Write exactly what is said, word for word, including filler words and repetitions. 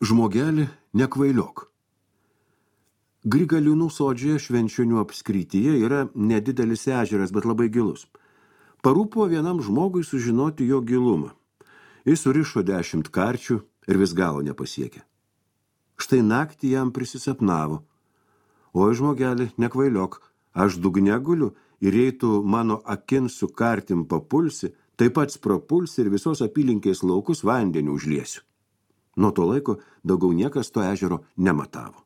Žmogelį nekvailiok. Grigaliūnų sodžioje Švenčionių apskrityje yra nedidelis ežeras, bet labai gilus. Parūpo vienam žmogui sužinoti jo gilumą. Jis surišo dešimt karčių ir vis galo nepasiekė. Štai naktį jam prisisapnavo. Oi, žmogelį, nekvailiok, aš dugne guliu ir jei tu mano akin su kartim papulsi, taip pats propulsi ir visos apylinkės laukus vandeniu užliesiu. Nuo to laiko daugiau niekas to ežero nematavo.